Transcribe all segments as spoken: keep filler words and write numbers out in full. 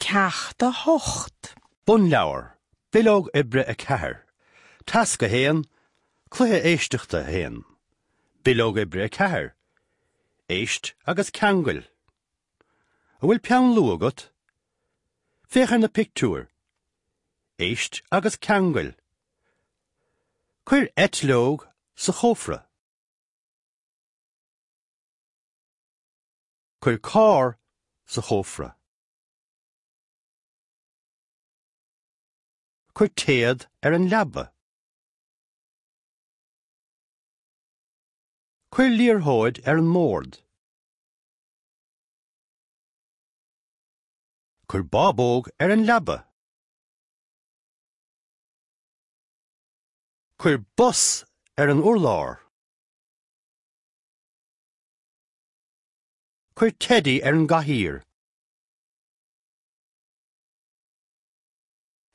Ceacht a hocht. Bunleabhar, Bileog oibre a ceathair, Tasc a haon, Cluiche éisteachta a haon, Bileog oibre a ceathair, Éist agus ceangail. An bhfuil peann luaidhe agat? Féach ar na pictiúir. Éist agus ceangail. Cuir eitleog sa chófra. Cuir carr sa chófra. Cuir téad ar an leaba. Cuir liathróid ar an mbord. Cuir bábóg ar an leaba. Cuir bos ar an urlár. Cuir teidí ar an gcathaoir.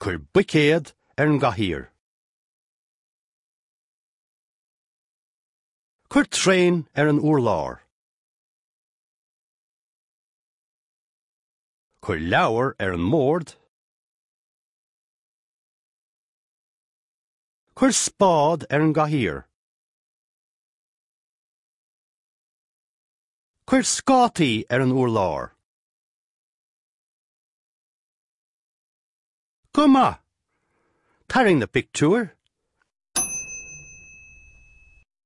Cuir buicéad ar an gcathaoir. Cuir traein ar an urlár. Cuir leabhar ar an mbord. Cuir spád ar an gcathaoir. Cuir scátaí ar an urlár. Go maith! Tarraing na pictiúir.